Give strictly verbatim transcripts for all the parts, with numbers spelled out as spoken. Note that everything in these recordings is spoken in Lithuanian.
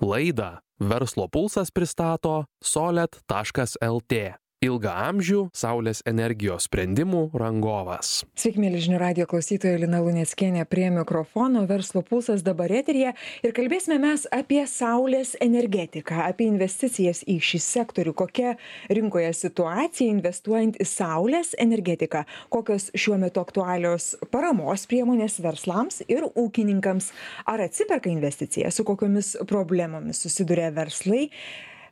Laidą Verslo pulsas pristato solet taškas lt. Ilgaamžių saulės energijos sprendimų rangovas. Sveiki, mėly žinių radijo klausytojai, Lina Luneckienė prie mikrofono, Verslo pulsas dabar eteryje ir kalbėsime mes apie saulės energetiką, apie investicijas į šį sektorių, kokia rinkoje situacija investuojant į saulės energetiką, kokios šiuo metu aktualios paramos priemonės verslams ir ūkininkams, ar atsiperka investicija, su kokiomis problemomis susiduria verslai,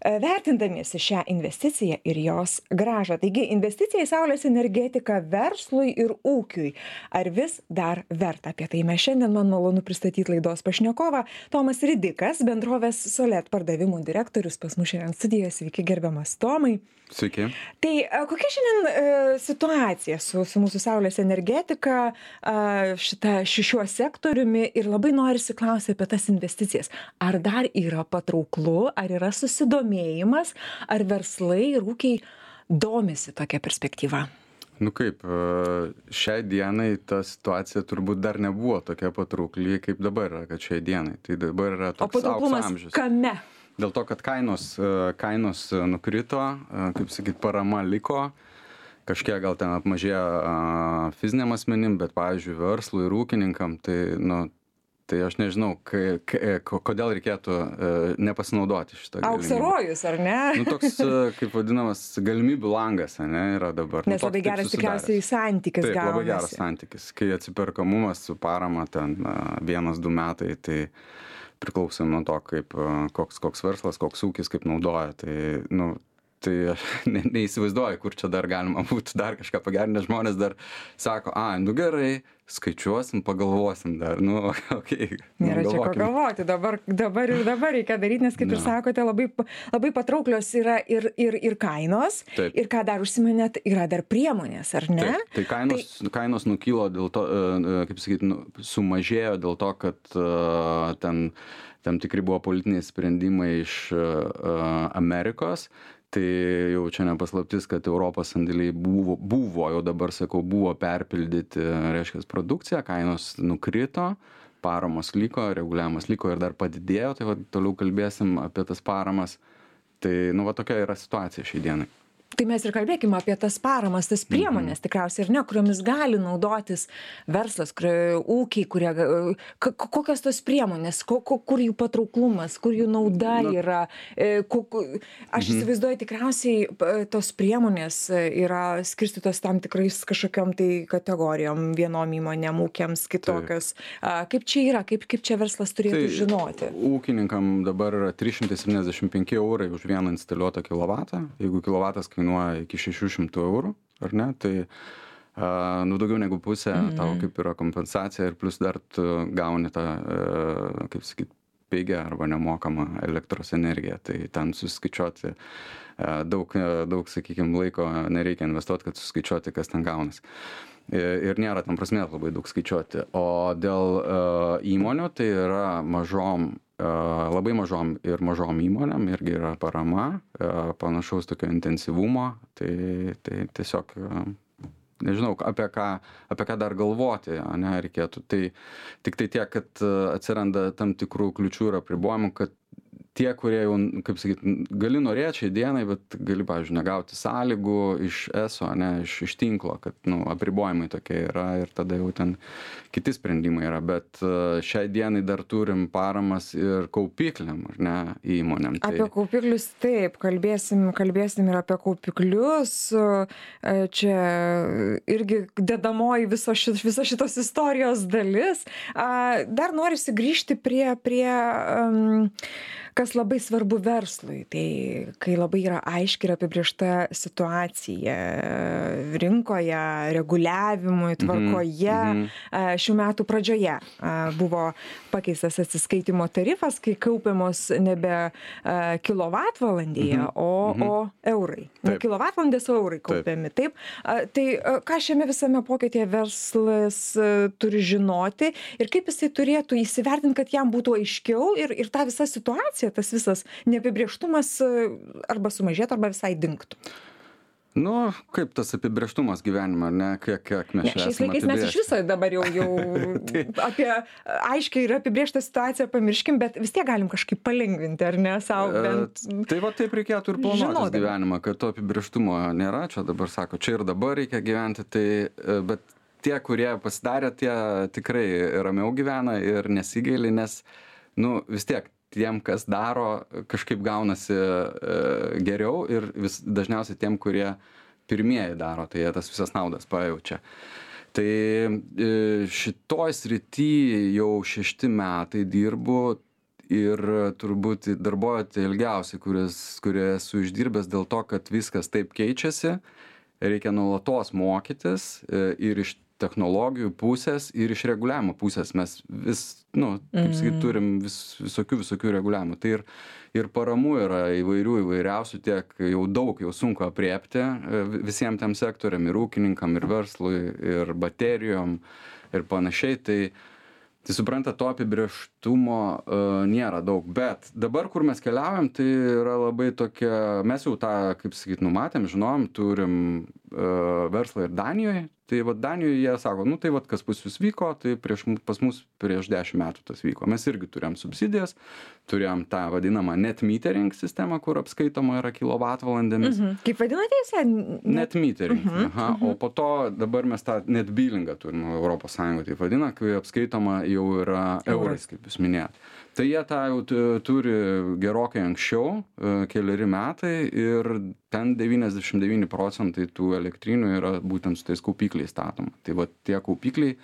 vertindamiesi šią investiciją ir jos grąžą. Taigi, investicija į saulės energetiką verslui ir ūkiui. Ar vis dar verta? Apie tai mes šiandien, man malonu pristatyti laidos pašnekovą. Tomas Ridikas, bendrovės Solet pardavimų direktorius, pas mus šiandien studijoje. Sveiki, gerbiamas Tomai. Sveiki. Tai kokia šiandien e, situacija su, su mūsų saulės energetika, e, šita, šiuo sektoriumi, ir labai norisi klausyti apie tas investicijas. Ar dar yra patrauklu, ar yra susidomėjimas, ar verslai ir ūkiai domisi tokia perspektyva? Nu kaip, šiai dienai ta situacija turbūt dar nebuvo tokia patraukli, kaip dabar yra, kad šiai dienai. Tai dabar yra toks aukso amžius. Kame? Dėl to, kad kainos, kainos nukrito, kaip sakyt, parama liko, kažkiek gal ten apmažėjo fiziniam asmenim, bet, pavyzdžiui, verslui ir ūkininkam, tai, nu, tai aš nežinau, kai, kai, kodėl reikėtų nepasinaudoti šitą galimybę. Auksarojus, ar ne? Nu, toks, kaip vadinamas, galimybių langas, ne, yra dabar. Nes nu, labai geras tikriausiai santykis gaunasi. Taip, labai geras santykis. Kai atsiperkamumas su parama ten vienas, du metai, tai priklausom nuo to, kaip, koks, koks verslas, koks ūkis, kaip naudoja. Tai, nu, tai aš ne, neįsivaizduoju, kur čia dar galima būtų dar kažką pagerinti, nes žmonės dar sako, a, nu gerai, skaičiuosim, pagalvosim dar, nu, okei. Okay, Nėra čia ko galvoti, dabar, dabar ir dabar reikia daryti, nes kaip no. ir sakote, labai, labai patrauklios yra ir, ir, ir kainos, Taip. ir ką dar užsiminėt, yra dar priemonės, ar ne? Taip. Tai kainos, tai kainos nukilo dėl to, kaip sakyti, nu, sumažėjo dėl to, kad uh, ten tam tikri buvo politiniai sprendimai iš uh, Amerikos. Tai jau čia nepaslaptis, kad Europos sandėliai buvo, buvo, jau dabar sakau, buvo perpildyti, reiškia, produkciją, kainos nukrito, paramos liko, reguliavimas liko ir dar padidėjo, tai va, toliau kalbėsim apie tas paramas. Tai, nu, va, tokia yra situacija šiai dienai. Tai mes ir kalbėkime apie tas paramas, tas priemonės mm-hmm. tikriausiai, ir ne, kuriomis gali naudotis verslas, kurie, ūkiai, kurie, kokios tos priemonės, ko, ko, kur jų patrauklumas, kur jų nauda Na. yra. Ko, aš mm-hmm. įsivaizduoju, tikriausiai tos priemonės yra skirstytos tam tikrais kažkokiom tai kategorijom, vienom įmonėm, ūkiams, kitokios. Taip. Kaip čia yra, kaip, kaip čia verslas turėtų tai, žinoti? Ūkininkam dabar yra trys šimtai septyniasdešimt penki eurai už vieną instaliuotą kilovatą. Jeigu kilovatas kainuoja iki šešių šimtų eurų, ar ne, tai uh, nu, daugiau negu pusė mm-hmm. tau kaip yra kompensacija ir plus dar tu gauni tą, uh, kaip sakyt, pigę arba nemokamą elektros energiją, tai ten suskaičiuoti uh, daug, uh, daug, sakykime, laiko nereikia investuoti, kad suskaičiuoti, kas ten gaunas. Ir nėra tam prasmės labai daug skaičiuoti. O dėl uh, įmonių, tai yra mažom labai mažom ir mažom įmonėm irgi yra parama, panašaus tokio intensyvumo, tai, tai tiesiog nežinau, apie ką, apie ką dar galvoti, ne, reikėtų. Tai tik tai tiek, kad atsiranda tam tikrų kliučių ir apribojimų, kad tie, kurie jau, kaip sakyt, gali norėti šiai dienai, bet gali, pavyzdžiui, negauti sąlygų iš eso, ne, iš, iš tinklo, kad, nu, apribojimai tokie yra ir tada jau ten kiti sprendimai yra, bet šiai dienai dar turim paramas ir kaupikliam, ar ne, įmonėm. Tai... Apie kaupiklius taip, kalbėsim, kalbėsim ir apie kaupiklius, čia irgi dedamoji viso šit, viso šitos istorijos dalis. Dar norisi grįžti prie, prie um, kas labai svarbu verslui, tai kai labai yra aiški ir apibrėžta situacija rinkoje, reguliavimui, tvarkoje, mm-hmm. šių metų pradžioje buvo pakeistas atsiskaitimo tarifas, kai kaupiamos nebe kilovatvalandėje, mm-hmm. o, mm-hmm. o eurai. Ne kilovatvalandės, o eurai kaupiami. Taip. Taip. Tai ką šiame visame pokytyje verslas turi žinoti ir kaip jisai turėtų įsivertinti, kad jam būtų aiškiau ir, ir ta visa situacija, tas visas neapibrėžtumas arba sumažėtų, arba visai dingtų? Nu, kaip tas apibrėžtumas gyvenime, ne, kiek, kiek mes Ne, čia šiais esame laikais mes iš apibrėžti. viso dabar jau, jau apie aiškiai ir apibrėžtą situaciją pamirškim, bet vis tiek galim kažkaip palengvinti, ar ne, savo bent. E, Tai va taip reikėtų ir planuotis žinodami. gyvenimą, kad to apibrėžtumo nėra, čia dabar sako, čia ir dabar reikia gyventi, tai, e, bet tie, kurie pasidarė, tie tikrai ramiau gyvena ir nesigaili, nes, nu, vis tiek tiem, kas daro, kažkaip gaunasi e, geriau ir vis, dažniausiai tiem, kurie pirmieji daro, tai jie tas visas naudas pajaučia. Tai e, šitoj srity jau šešti metai dirbu ir turbūt darbuojate ilgiausiai, kuris, kurie esu išdirbęs dėl to, kad viskas taip keičiasi, reikia nuolatos mokytis e, ir iš technologijų pusės ir iš reguliavimo pusės. Mes vis, nu, kaip sakyt, turim vis, visokių, visokių reguliavimų. Tai ir, ir paramų yra įvairių, įvairiausių, tiek jau daug, jau sunku apriepti visiems tam sektoriam, ir ūkininkam, ir verslui, ir baterijom, ir panašiai. Tai, tai supranta, to apibrėžtumo uh, nėra daug. Bet dabar, kur mes keliaujam, tai yra labai tokia, mes jau tą, kaip sakyt, numatėm, žinom, turim uh, verslą ir Danijoje. Tai va Danijoje jie sako, nu tai va kas pas jūs vyko, tai prieš, pas mus prieš dešimt metų tas vyko. Mes irgi turėjom subsidijas, turėjom tą vadinamą net metering sistemą, kur apskaitoma yra kilovatvalandėmis. Mhm. Kaip vadinate jūs? Net, net metering. Mhm, Aha. mhm. O po to dabar mes tą net billingą turim, Europos Sąjunga taip vadina, kai apskaitoma jau yra eurais, kaip jūs minėjot. Tai jie tą jau tu- turi gerokai anksčiau, e, keleri metai, ir ten devyniasdešimt devyni procentai tų elektrinių yra būtent su tais kaupikliais statoma. Tai va tie kaupikliai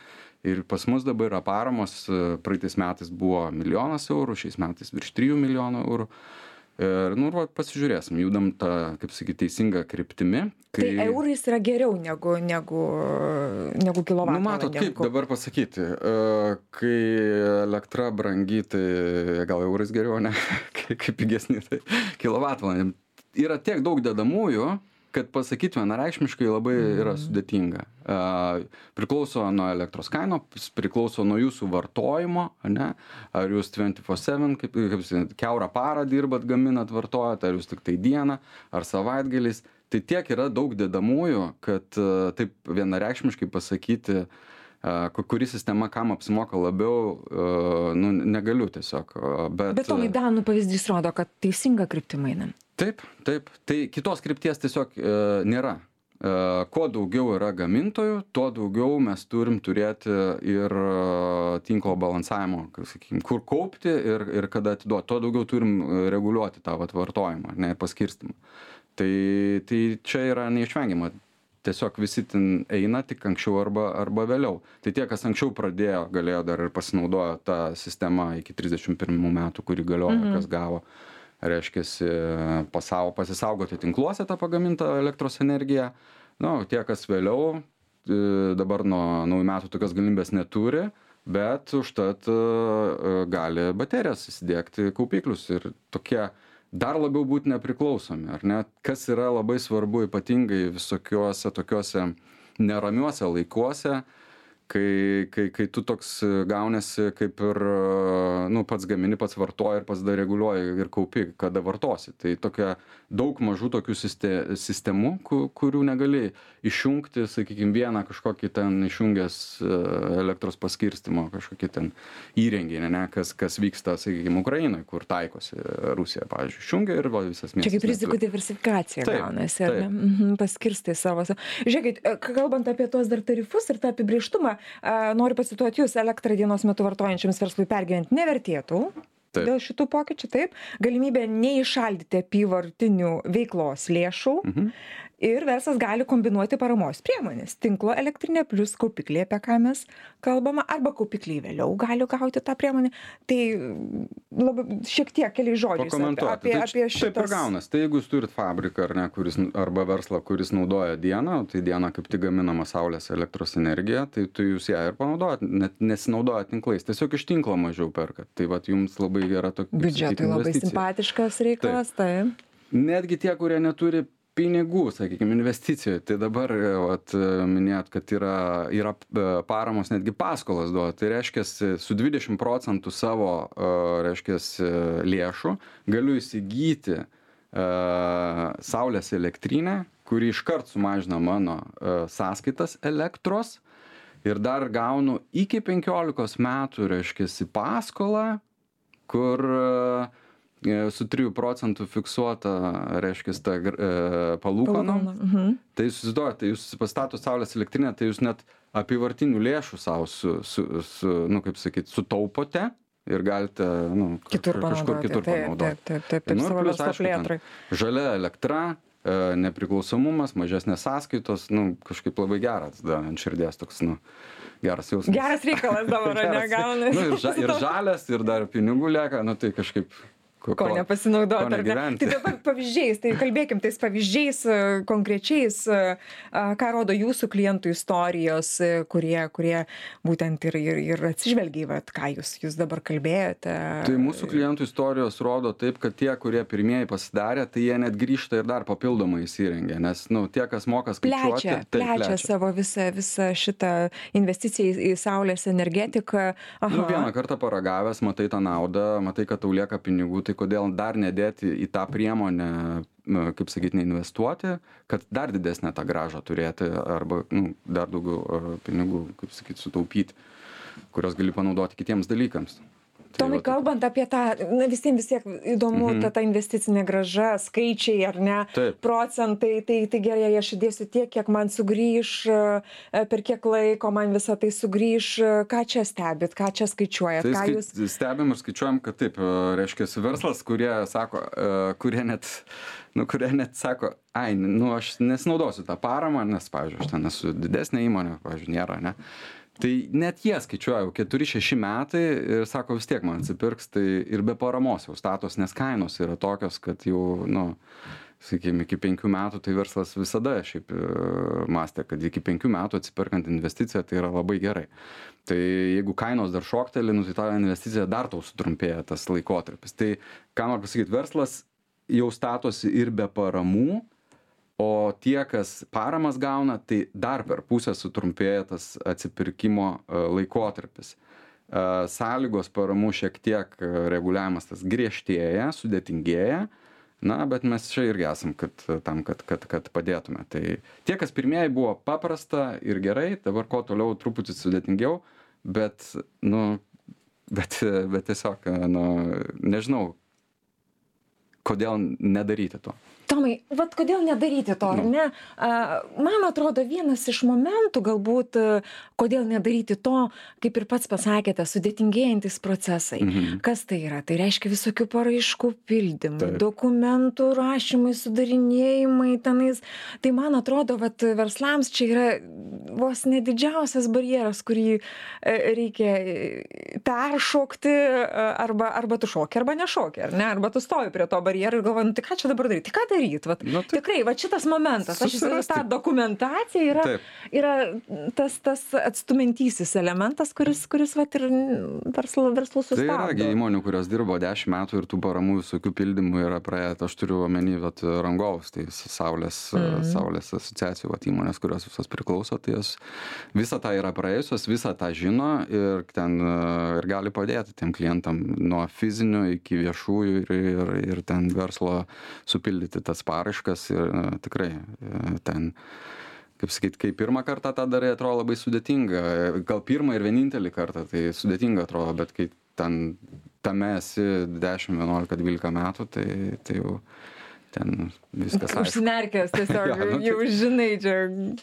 ir pas mus dabar yra paramos, e, praeitais metais buvo milijonas eurų, šiais metais virš trijų milijonų eurų. Ir, nu, va, pasižiūrėsim, judam tą, kaip sakyti, teisingą kryptimi. Tai eurais yra geriau negu, negu, negu Nu, kilovatvalandėm. matot, kaip dabar pasakyti, e, kai elektra brangi, tai gal eurais geriau, ne, kaip kaip pigesni, tai kilovatvalandėm. Yra tiek daug dedamųjų, kad pasakyti vienareikšmiškai labai yra sudėtinga. E, priklauso nuo elektros kainos, priklauso nuo jūsų vartojimo, ne? Ar jūs dviraštuonių keturi sedem, kaip, kaip sakyti, kiaurą parą dirbat, gaminat, vartojat, ar jūs tik tai dieną, ar savaitgaliais. Tai tiek yra daug dedamųjų, kad e, taip vienareikšmiškai pasakyti, e, kuri sistema kam apsimoka labiau, e, nu, negaliu tiesiog. e, Bet, Bet Tomai, Danų pavyzdys rodo, kad teisinga kryptim einam. Taip, taip. Tai kitos krypties tiesiog e, nėra. E, kuo daugiau yra gamintojų, tuo daugiau mes turim turėti ir e, tinklo balansavimo, kaip sakykim, kur kaupti ir, ir kada atiduoti. Tuo daugiau turim e, reguliuoti tą vat, vartojimą, ne, ir paskirstimą. Tai, tai čia yra neišvengiama. Tiesiog visi ten eina tik anksčiau arba, arba vėliau. Tai tie, kas anksčiau pradėjo, galėjo dar ir pasinaudojo tą sistemą iki trisdešimt pirmų metų, kuri galiojo, Mhm. kas gavo. Reiškiasi pasau, pasisaugoti tinkluose tą pagamintą elektros energiją. Nu, tie, kas vėliau, e, dabar nuo naujų metų tokios galimybės neturi, bet užtat e, gali baterijas įsidėkti kaupiklius ir tokie dar labiau būti nepriklausomi, ar ne? Kas yra labai svarbu ypatingai visokiuose tokiuose neramiuose laikuose, kai, kai, kai tu toks gaunasi kaip ir, nu, pats gamini, pats vartoji ir pats dar reguliuoji ir kaupi, kada vartosi. Tai tokia daug mažų tokių siste, sistemų, ku- kurių negali išjungti, sakykime, vieną kažkokį ten išjungęs e, elektros paskirstimo kažkokį ten įrenginį, ne, kas, kas vyksta, sakykime, Ukrainoje, kur taikosi Rusija, pavyzdžiui, išjungia ir va, visas miestas. Čia kaip rizikų neturi. diversifikacija Taip, gaunasi, ar ne? taip. Mhm, paskirstai savo. Žiūrėkit, e, kalbant apie tuos dar tarifus ir tą apibrėžtumą, e, noriu pacituoti jūs, elektrą dienos metu vartojančiams verslui pergyventi nevertėtų. Taip. Dėl šitų pokyčių, taip, galimybė neišaldyti apyvartinių veiklos lėšų Mhm. ir verslas gali kombinuoti paramos priemonės. Tinklo elektrinė plus kaupikliai, apie ką mes kalbama, arba kaupikliai vėliau gali gauti tą priemonę. Tai labai šiek tiek keliais žodžiais Pakomentuoti. apie, Tai apie č- Taip ir šitas. gaunas. Tai jeigu jūs turit fabriką ar ne, kuris, arba verslą, kuris naudoja dieną, tai diena kaip tik gaminama saulės elektros energija, tai tu jūs ją ir panaudojat, net nesinaudojat tinklais. Tiesiog iš tinklo mažiau perkat. Tai vat jums labai gera tokia Biudžetui labai simpatiškas reikalas, tai. Netgi tie, kurie neturi pinigų, sakykime, investicijų. Tai dabar, vat, minėjot, kad yra, yra e, paramos, netgi paskolas duoda. Tai reiškia, su dvidešimt procentų savo, e, reiškia, lėšų galiu įsigyti e, saulės elektrinę, kuri iškart sumažina mano uh, sąskaitas elektros ir dar gaunu iki penkiolikos metų, reiškiasi, paskolą, kur uh, su trijų procentų fiksuota, reiškiasi, ta uh, palūkana. Mhm. Tai jūs susiduojate, tai jūs pastato saulės elektrinę, tai jūs net apyvartinių lėšų savo, su, su, su, nu, kaip sakyti, sutaupote ir galite, nu, kitur kažkur kitur panaudoti. Taip, taip, taip, taip, Nu, savo plius, verslo aišku, ten plėtrai. žalia elektra, e, nepriklausomumas, mažesnės sąskaitos, nu, kažkaip labai geras, da, ant širdies toks, nu, geras jausmas. Geras reikalas dabar, Geras. negauna. Nu, ir, ža, ir žalias, ir dar pinigų lieka, nu, tai kažkaip... Ko, ko nepasinaudoti, ar ne? Tai dabar pavyzdžiais, tai kalbėkim tais pavyzdžiais konkrečiais, ką rodo jūsų klientų istorijos, kurie, kurie būtent ir, ir, ir atsižvelgia, vat, ką jūs, jūs dabar kalbėjote. Tai mūsų klientų istorijos rodo taip, kad tie, kurie pirmieji pasidarė, tai jie net grįžta ir dar papildomai įsirengia, nes, nu, tie, kas moka skaičiuoti, plečia, tai plečia, plečia savo visą, visą šitą investiciją į, į saulės energetiką. Aha. Nu, vieną kartą paragavęs, matai tą naudą, matai, kad tau lieka pinigų, tai kodėl dar nedėti į tą priemonę, kaip sakyti, neinvestuoti, kad dar didesnę tą grąžą turėti arba, nu, dar daugiau pinigų, kaip sakyti, sutaupyti, kurios gali panaudoti kitiems dalykams. Tomai, kalbant apie tą, na, visiems vis tiek įdomu, mhm. ta, ta investicinė grąža, skaičiai, ar ne, Taip. procentai, tai, tai gerai, aš įdėsiu tiek, kiek man sugrįž, per kiek laiko man visą tai sugrįž, ką čia stebit, ką čia skaičiuojat, tai ką skai, jūs... Stebim ir skaičiuojam, kad taip, reiškia, verslas, kurie sako, kurie net, nu, kurie net sako, ai, nu, aš nesinaudosiu tą paramą, nes, pavyzdžiui, aš ten esu didesnė įmonė, pavyzdžiui, nėra, ne. Tai net jie skaičiuoja jau keturi šeši metai ir sako, vis tiek man atsipirks, tai ir be paramos jau statos, nes kainos yra tokios, kad jau, nu, sakykime, iki penkių metų tai verslas visada šiaip mąstė, kad iki penkių metų atsiperkant investiciją tai yra labai gerai. Tai jeigu kainos dar šokteli, nu, tai ta investicija dar tau sutrumpėja tas laikotarpis. Tai, ką noriu pasakyti, verslas jau statosi ir be paramų, o tie, kas paramas gauna, tai dar per pusę sutrumpėja tas atsipirkimo laikotarpis. Sąlygos paramų šiek tiek reguliavimas tas griežtėja, sudėtingėja, na, bet mes čia irgi esam kad, tam, kad, kad, kad padėtume. Tai tie, kas pirmieji buvo paprasta ir gerai, dabar ko toliau truputį sudėtingiau, bet, nu, bet, bet tiesiog, nu, nežinau, kodėl nedaryti to. Tomai, vat kodėl nedaryti to, ar ne? Man atrodo, vienas iš momentų galbūt, kodėl nedaryti to, kaip ir pats pasakėte, sudėtingėjantis procesai. Mhm. Kas tai yra? Tai reiškia visokių paraiškų pildymų, Taip. dokumentų rašymai, sudarinėjimai tenais. Tai man atrodo, vat verslams čia yra vos nedidžiausias barjeras, kurį reikia peršokti, arba, arba tu šoki, arba nešoki, ar ne? Arba tu stovi prie to barjero ir galvoji, nu, tai ką čia dabar daryti? Tai ką daryti? Vat, nu, tai, tikrai, va šitas momentas, aš įsivaizduoju, ta dokumentacija yra, yra tas, tas atstumiantysis elementas, kuris, kuris vat, ir verslo, verslų sustabdo. Tai yra įmonių, kurios dirbo dešimt metų ir tų paramų visokių pildymų yra praėję. Aš turiu omeny vat, rangovus, tai saulės, mm. saulės asociacijų vat, įmonės, kurios visos priklauso, tai jos visą tą yra praėjusios, visą tą žino ir, ten, ir gali padėti tiem klientam nuo fizinių iki viešųjų ir, ir, ir ten verslo supildyti tas paraiškas ir tikrai ten, kaip sakyti, kai pirmą kartą tą darai, atrodo labai sudėtinga. Gal pirmą ir vienintelį kartą tai sudėtinga atrodo, bet kai ten tame esi dešimt, vienuolika, dvylika metų, tai, tai jau ten viskas aišku. Užsimerkęs tiesiog, ja, nu, jau žinai, čia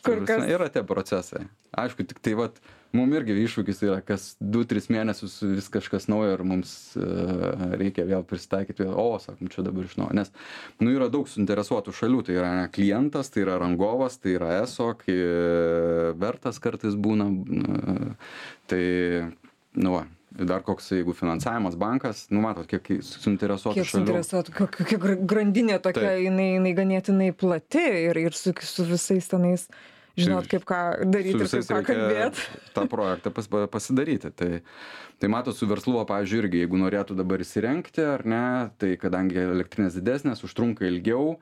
kur kas. Yra tie procesai. Aišku, tik tai vat, mum irgi iššūkis yra, kas du tris mėnesius vis kažkas naujo ir mums uh, reikia vėl prisitaikyti, vėl, o, sakom, čia dabar iš naujo. Nes, nu, yra daug suinteresuotų šalių, tai yra ne, klientas, tai yra rangovas, tai yra eso, kai vertas kartais būna, uh, tai, nu, va. Dar koks, jeigu finansavimas bankas, nu matot, kiek suinteresuotų kiek šalių. Suinteresuotų, kokia grandinė tokia, jinai, jinai ganėtinai plati ir, ir su, su visais tenais, žinot, kaip ką daryti ir kaip ką kalbėti. Tą projektą pas, pasidaryti. Tai, tai matot, su verslu, pavyzdžiui, irgi, jeigu norėtų dabar įsirengti, ar ne, tai kadangi elektrinės didesnės, užtrunka ilgiau,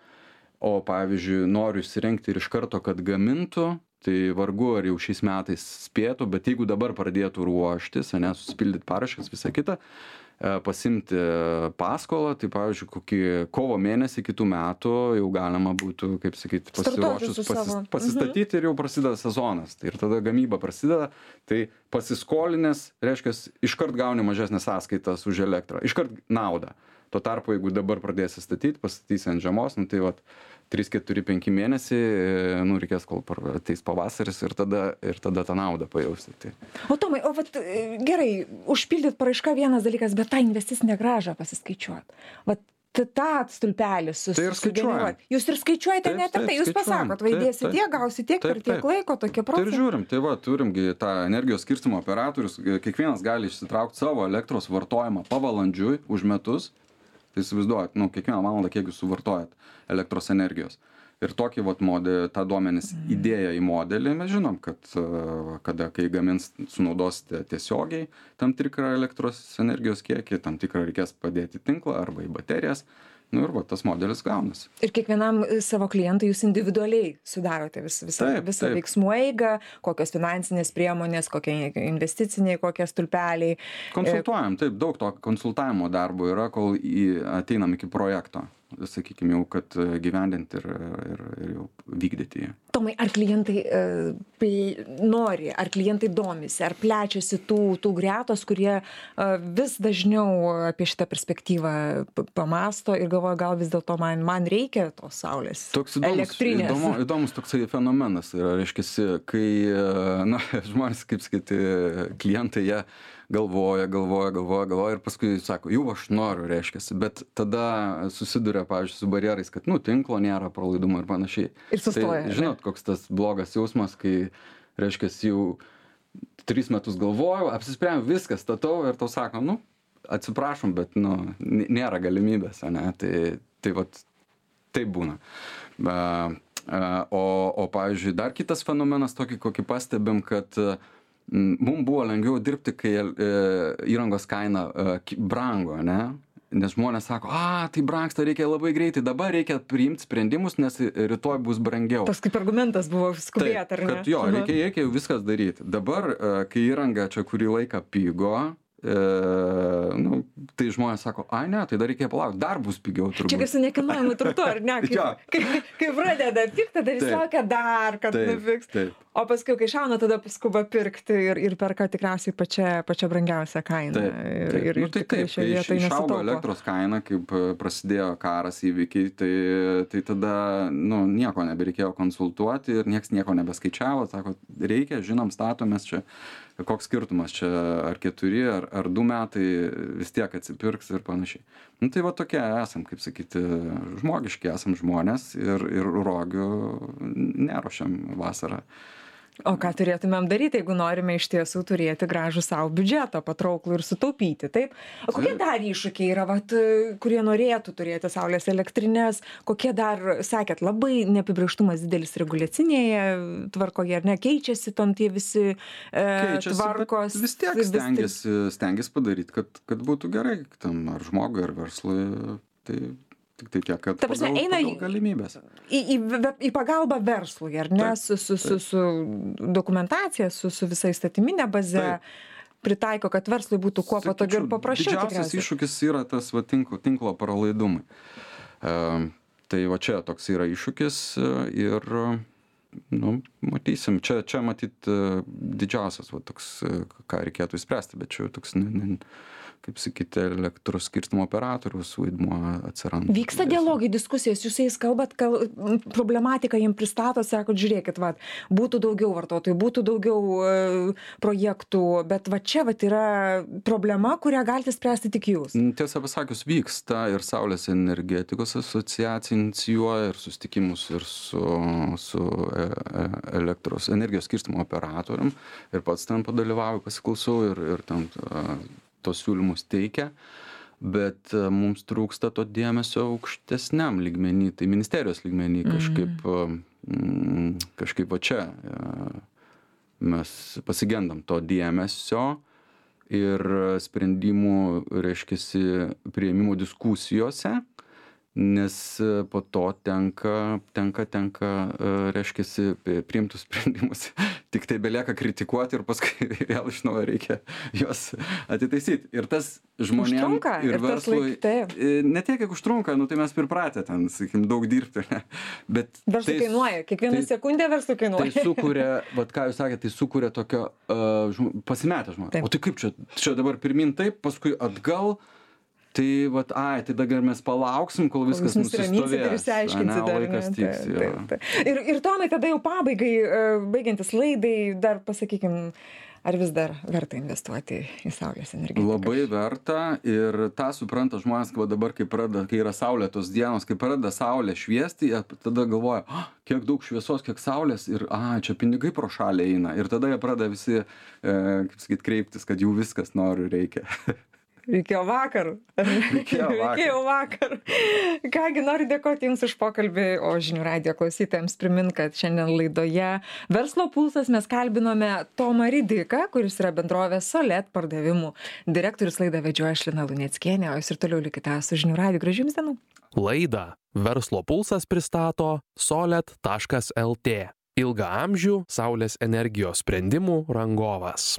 o pavyzdžiui, noriu įsirengti ir iš karto, kad gamintų, tai vargu ar jau šiais metais spėtų, bet jeigu dabar pradėtų ruoštis, ne, susipildyti paraškas, visą kitą, pasimti paskolą, tai pavyzdžiui, kokį kovo mėnesį kitų metų jau galima būtų, kaip sakyti, pasiruošus pasis, pasistatyti mhm. ir jau prasideda sezonas. Tai ir tada gamyba prasideda, tai pasiskolinės, reiškia, iškart gauni mažesnės sąskaitas už elektrą, iškart naudą. Tuo tarpu, jeigu dabar pradėsi statyti, pastatysi ant žiemos, nu, tai vat, trys keturi penki mėnesiai, nu, reikės, kol ateis pavasaris ir tada, ir tada tą naudą pajausti. Tai. O Tomai, o vat, gerai, užpildyt paraišką vienas dalykas, bet tą investicinę grąžą pasiskaičiuot. Vat tą stulpelį susigeneruot. Tai jūs ir skaičiuojate taip, net ir tai, jūs pasakot, vaidėsi tiek, gausi tiek per tiek laiko, tokie procentai. Tai ir žiūrim, tai va, turimgi tą energijos skirstymo operatorius, kiekvienas gali išsitraukti savo elektros vartojimą pavalandžiui už metus. Tai įsivaizduojat, nu, kiekvieną valandą, kiek jūs suvartojat elektros energijos. Ir tokį vat modelį, tą duomenis įdėję į modelį, mes žinom, kad kada, kai gamins, sunaudosite tiesiogiai tam tikrą elektros energijos kiekį, tam tikrą reikės padėti tinklą arba į baterijas. Nu ir va, tas modelis gaunasi. Ir kiekvienam savo klientui jūs individualiai sudarote vis, visą, taip, visą taip. veiksmų eigą, kokios finansinės priemonės, kokie investiciniai, kokie stulpeliai. Konsultuojam, taip, daug to konsultavimo darbo yra, kol į, ateinam iki projekto. Sakykime, jau, kad gyvendinti ir, ir, ir jau vykdyti jį. Tomai, ar klientai uh, ple, nori, ar klientai domisi, ar plečiasi tų, tų gretos, kurie uh, vis dažniau apie šitą perspektyvą pamasto ir galvoja, gal vis dėlto man, man reikia tos saulės toks įdomus, elektrinės. Įdomu, įdomus toksai fenomenas yra, reiškia, kai na, žmonės, kaip sakyti, klientai, jie galvoja, galvoja, galvoja, galvoja ir paskui sako, jau aš noriu, reiškia, bet tada susiduria, pavyzdžiui, su barjerais, kad, nu, tinklo nėra, pralaidumo ir panašiai. Ir sustoja. Tai, žinot, koks tas blogas jausmas, kai, reiškia, jau tris metus galvojau, apsisprendžiau, viskas statau ir tau sako, nu, atsiprašom, bet, nu, nėra galimybės, ne, tai, tai vat, taip būna. O, o, pavyzdžiui, dar kitas fenomenas tokį, kokį pastebim, kad mums buvo lengviau dirbti, kai įrangos kaina brango, ne? Nes žmonės sako, a, tai brangsta, reikia labai greitai, dabar reikia priimti sprendimus, nes rytoj bus brangiau. Tas kaip argumentas buvo skubėt, ar ne? Kad jo, reikia, reikia viskas daryti. Dabar, kai įranga čia kurį laiką pigo, e, nu, tai žmonės sako, ai ne, tai dar reikia palaukti, dar bus pigiau turbūt. Čia kaip su nekilnojamu turtu, ar ne? Kaip, kaip, kaip pradeda pirkti, tada vis laukia dar, kad nupigs. Taip. O paskui, kai šauna, tada skuba pirkti ir, ir perka tikriausiai pačia, pačia brangiausia kaina. Taip, taip. Ir, ir nu, tai taip, kai iš, išaugo elektros kaina, kaip prasidėjo karas įvykiai, tai, tai tada nu, nieko nebereikėjo konsultuoti ir nieks nieko nebeskaičiavo. Sako, reikia, žinom, statomės čia, koks skirtumas čia, ar keturi, ar, ar du metai vis tiek atsipirks ir panašiai. Nu, tai va tokie esam, kaip sakyti, žmogiški esam žmonės ir, ir rogių neruošiam vasarą. O ką turėtumėm daryti, jeigu norime iš tiesų turėti gražų savo biudžetą, patrauklų ir sutaupyti, taip? O kokie dar iššūkiai yra, vat, kurie norėtų turėti saulės elektrinės, kokie dar, sakėt, labai neapibrėžtumas didelis reguliacinėje tvarkoje, ar ne, keičiasi tam tie visi e, keičiasi, tvarkos. Vis tiek stengiasi, stengiasi padaryti, kad, kad būtų gerai tam ar žmogui, ar verslui, tai... Tik tai tiek, kad prasme, pagal, eina pagal galimybės. Į, į, į pagalbą verslui, ar ne, taip, su, su, su, su dokumentacija, su, su visa įstatyminė baze, taip. Pritaiko, kad verslui būtų kuo patogiau ir paprasčiau. Didžiausias tikriausiai. Iššūkis yra tas va, tinklo, tinklo pralaidumai. Uh, tai va čia toks yra iššūkis ir, nu, matysim, čia, čia matyt didžiausias va, toks, ką reikėtų įspręsti, bet čia toks... Ne, ne, kaip sakyti, elektros skirstymo operatoriaus vaidmuo atsiranda. Vyksta dialogai, diskusijos, jūs jais kalbat, kal, problematiką jiem pristato, sakot, žiūrėkit, va, būtų daugiau vartotojų, būtų daugiau e, projektų, bet va čia va yra problema, kurią galite spręsti tik jūs. Tiesą pasakius, vyksta ir Saulės energetikos asociacija inicijuoja ir susitikimus ir su, su e, elektros energijos skirstymo operatorium ir pats ten padalyvauju, pasiklausau ir, ir ten a, tos siūlymus teikia, bet mums trūksta to dėmesio aukštesniam lygmenį, tai ministerijos lygmenį kažkaip, mm, kažkaip va čia mes pasigendam to dėmesio ir sprendimų, reiškiasi, priėmimo diskusijose nes po to tenka, tenka, tenka, reiškiasi, priimtus sprendimus. Tik tai belieka kritikuoti ir paskui vėl iš naujo reikia juos atitaisyti. Ir tas žmonėms Užtrunka, ir ir tas verslui, laik- taip. ne tiek, kiek užtrunka, nu tai mes pripratę ten, sakykim, daug dirbti, ne? Bet Verslui tai- kainuoja, kiekvieną tai- sekundę verslui Tai kainuoja. sukuria, vat ką jūs sakėte, tai sukuria tokio uh, žm- pasimetę žmonės. Taip. O tai kaip čia, čia dabar pirmin taip, paskui atgal, tai vat, ai, tai dabar mes palauksim, kol viskas Jūs nusiraminsit ir nusistovės. išsiaiškinsit ane, o dar, laikas ne? tiks, Taip, jo. taip, taip. Ir, ir Tomai, tada jau pabaigai, e, baigiantis laidai, dar pasakykim, ar vis dar verta investuoti į saulės energetiką? Labai verta ir tą supranta žmonės, kad dabar, kai, pradeda, kai yra saulėtos dienos, kai pradeda saulė šviesti, jie tada galvoja, oh, kiek daug šviesos, kiek saulės ir, a, čia pinigai pro šalį eina. Ir tada jie pradeda visi, e, kaip sakyt, kreiptis, kad jų viskas noriu reikia. Reikėjo vakar. Reikėjo vakar. Reikėjo vakar. Kągi, noriu dėkoti Jums už pokalbį, o žinių radijo klausytojams primint, kad šiandien laidoje Verslo pulsas mes kalbinome Tomą Ridiką, kuris yra bendrovės Solet pardavimų direktorius. Laidą vedžioja aš Lina Luneckienė, o Jūs ir toliau likite su žinių radiju. Gražių Jums dienų. Laidą Verslo pulsas pristato solet taškas lt. Ilgaamžių saulės energijos sprendimų rangovas.